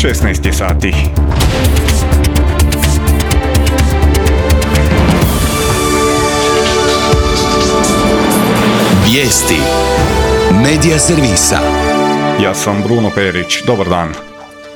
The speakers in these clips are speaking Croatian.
16 je sati. Vijesti Medija servisa. Ja sam Bruno Perić, dobar dan.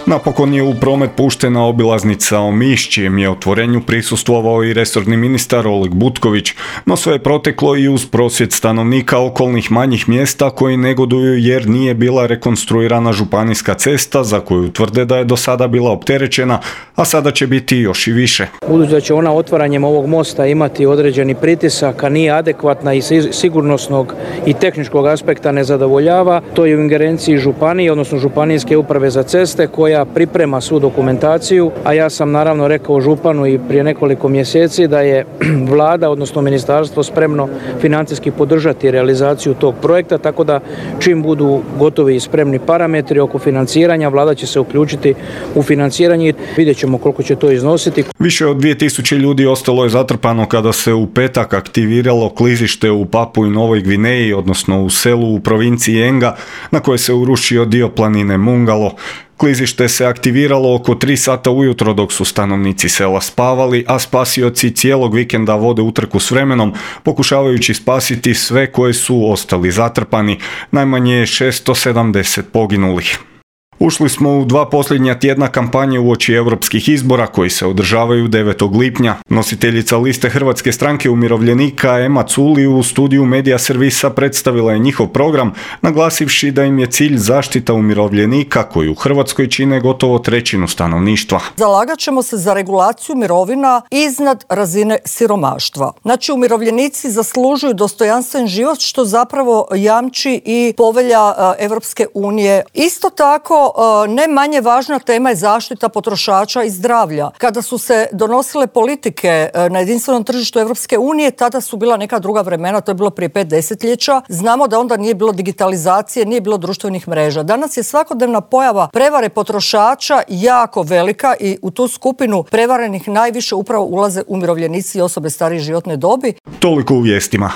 Napokon je u promet puštena obilaznica Omiš, čijem je otvorenju prisustvovao i resorni ministar Oleg Butković, no sve je proteklo i uz prosvjed stanovnika okolnih manjih mjesta koji negoduju jer nije bila rekonstruirana županijska cesta za koju tvrde da je do sada bila opterećena, a sada će biti još i više. Budući da će ona otvaranjem ovog mosta imati određeni pritisak, a nije adekvatna i sigurnosnog i tehničkog aspekta ne zadovoljava, to je u ingerenciji županije, odnosno županijske uprave za ceste koja priprema svu dokumentaciju, a ja sam naravno rekao županu i prije nekoliko mjeseci da je vlada, odnosno ministarstvo spremno financijski podržati realizaciju tog projekta, tako da čim budu gotovi i spremni parametri oko financiranja, vlada će se uključiti u financiranje i vidjet ćemo koliko će to iznositi. Više od 2000 ljudi ostalo je zatrpano kada se u petak aktiviralo klizište u Papui Novoj Gvineji, odnosno u selu u provinciji Enga, na koje se urušio dio planine Mungalo. Klizište se aktiviralo oko 3 sata ujutro dok su stanovnici sela spavali, a spasioci cijelog vikenda vode utrku s vremenom, pokušavajući spasiti sve koji su ostali zatrpani. Najmanje je 670 poginulih. Ušli smo u 2 posljednja tjedna kampanje uoči europskih izbora koji se održavaju 9. lipnja. Nositeljica liste Hrvatske stranke umirovljenika Ema Culi u studiju Medija servisa predstavila je njihov program, naglasivši da im je cilj zaštita umirovljenika koji u Hrvatskoj čine gotovo 1/3 stanovništva. Zalagat ćemo se za regulaciju mirovina iznad razine siromaštva. Znači, umirovljenici zaslužuju dostojanstven život, što zapravo jamči i povelja Europske unije. Isto tako, ne manje važna tema je zaštita potrošača i zdravlja. Kada su se donosile politike na jedinstvenom tržištu Europske unije, tada su bila neka druga vremena, to je bilo prije 5 desetljeća. Znamo da onda nije bilo digitalizacije, nije bilo društvenih mreža. Danas je svakodnevna pojava prevare potrošača jako velika i u tu skupinu prevarenih najviše upravo ulaze umirovljenici i osobe starije životne dobi. Toliko u vijestima.